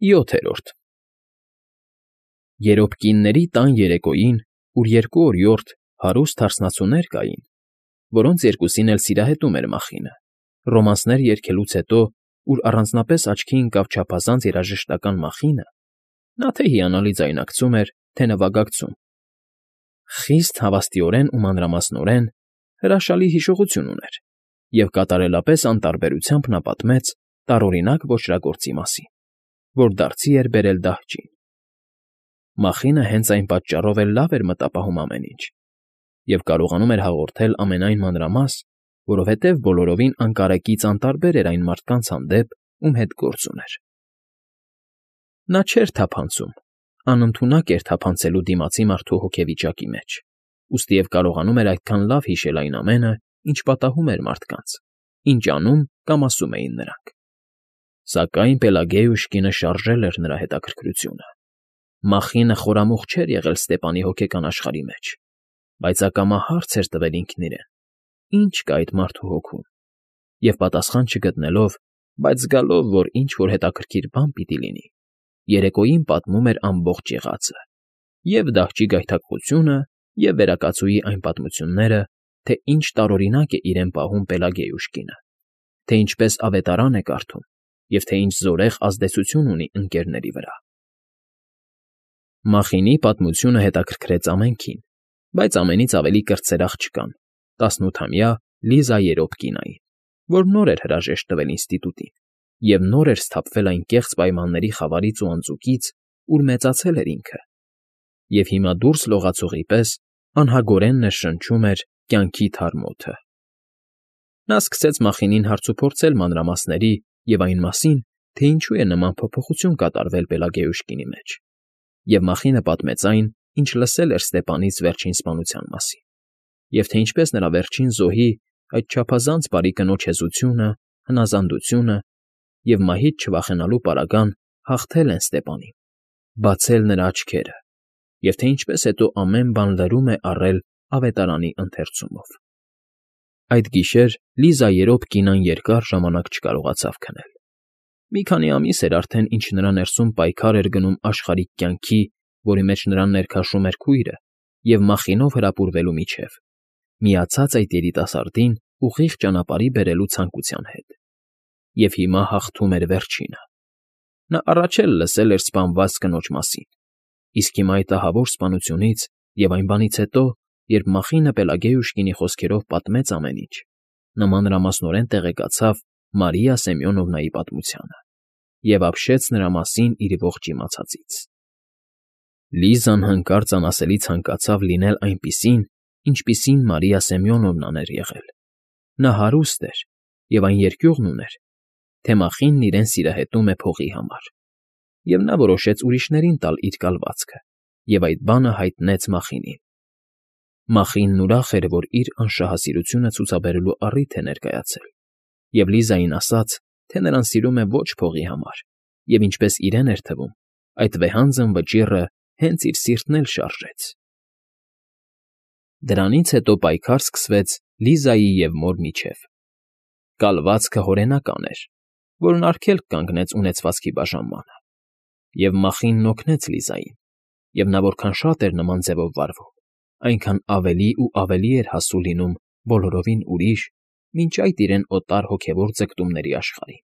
7-րդ Երբ կինների տան երեկոյին, ուր երկու օրիորդ հարուստ հարսնացուներ կային, որոնց երկուսին էլ սիրահետում էր Մախինը, ռոմանսներ երգելուց հետո, ուր առանձնապես աչքի ընկավ չափազանց երաժշտական Մախինը, նա թե հիանալի ձայնարկում էր, թե նվագակցում, խիստ հավաստիորեն ու մանրամասնորեն հրաշալի հիշողություն ուներ և կատարելապես անտարբերությամբ նա պատմեց տարօրինակ ոճրագործի մասին, որ դարձի էր բերել դահճին. Մախինը հենց այն պատճառով էլ լավ էր մտապահում ամեն ինչ և կարողանում էր հաղորդել ամենայն մանրամաս, որովհետև բոլորովին անկարեկից անտարբեր էր այն մարդկանց հանդեպ, ում հետ գործ ուներ. Նա չէր թափանցում, անընդունակ էր թափանցելու դիմացի մարդու հոգեվիճակի մեջ, ուստի և կարողանում էր այդքան լավ հիշել այն ամենը, ինչ պատահում էր մարդկանց, ինչ անում կամ ասում էին նրանք. Սակայն Պելագեյուշկինը շարժել էր նրա հետաքրքրությունը. Մախինը խորամուխ չէր եղել Ստեպանի հոգեկան աշխարհի մեջ, բայց ակամա հարց էր տվել ինքն իրեն. ի՞նչ կա այդ մարդու հոգում, և պատասխան չգտնելով, բայց զգալով, որ ինչ֊որ հետաքրքիր բան պիտի լինի, երեկոյին պատմում էր ամբողջ եղածը, և՛ դահճի գայթակղությունը, և՛ վերակացուի այն պատմությունները, թե ինչ տարօրինակ է իրեն պահում Պելագեյուշկինը, թե ինչպես ավետարան է կարդում և թե ինչ զորեղ ազդեցություն ունի ընկներների վրա։ Մախինի պատմությունը հետաքրքրեց ամենքին, բայց ամենից ավելի կրտսեր աղջկան, 18-ամյա Լիզա Երոպկինային, որ նոր էր հրաժեշտ տվել ինստիտուտին և նոր էր սթափվել այն կեղծ պայմանների խավարից ու անձուկից, ուր մեծացել էր ինքը, և հիմա դուրս լողացողի պես անհագորեն ներշնչում էր կյանքի թարմ օդը։ Նա սկսեց Մախինին հարցուփորձել մանրամասների և այն մասին, թե ինչու է նման փոփոխություն կատարվել Պելագեյուշկինի մեջ, և Մախինը պատմեց այն, ինչ լսել էր Ստեպանից վերջին սպանության մասին, և թե ինչպես նրա վերջին զոհի, այդ չափազանց բարի կնոջ հեզությունը, հնազանդությունը և մահից չվախենալու պարագան հաղթել են Ստեպանին, բացել նրա աչքերը, և թե ինչպես հետո ամեն բան լրում է առել ավետարանի ընթերցումով։ Այդ գիշեր Լիզա Երոպկինան երկար ժամանակ չկարողացավ քնել։ Մի քանի ամիս էր արդեն, ինչ նրա ներսում պայքար էր գնում աշխարհիկ կյանքի, որի մեջ նրան ներքաշում էր քույրը, և Մախինով հրապուրվելու միջև, միացած այդ երիտասարդին ուղիղ ճանապարհի բերելու ցանկության հետ։ Եվ հիմա հաղթում էր վերջինը։ Նա առաջ էլ լսել էր սպանված կնոջ մասին, իսկ հիմա այդ ահավոր սպանությունից և այն բանից հետո, երբ Մախինը Պելագեյուշկինի խոսքերով պատմեց ամեն ինչ, նա մանրամասնորեն տեղեկացավ Մարիա Սեմյոնովնայի պատմությանը և ապշեց նրա մասին իր ողջ իմացածից։ Լիզան հանկարծ անասելի ցանկացավ լինել այնպիսին, ինչպիսին Մարիա Սեմյոնովնան էր եղել։ Նա հարուստ էր, և այն երկյուղն ուներ, թե Մախինն իրեն սիրահետում է փողի համար, և նա որոշեց ուրիշներին տալ իր կալվածքը և այդ բանը հայտնեց Մախինին։ Մախինն ուրախ էր, որ իր անշահասիրությունը ցուցաբերելու առիթ է ներկայացել, և Լիզային ասաց, թե նրան սիրում է ոչ փողի համար, և ինչպես իրեն էր թվում, այդ վեհանձն վճիռը հենց իր սիրտն էլ շարժեց։ Դրանից հետո պայքար սկսվեց Լիզայի և մոր միջև։ Կալվածքը հորենական էր, որն արգելք կանգնեց ունեցվածքի բաժանմանը, և Մախինն օգնեց Լիզային, և նա որքան շատ էր նման ձևով վարվում, այնքան ավելի ու ավելի էր հասու լինում բոլորովին ուրիշ, մինչ այդ իրեն օտար հոգևոր ձգտումների աշխարհին,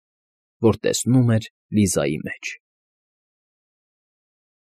որ տեսնում էր Լիզայի մեջ։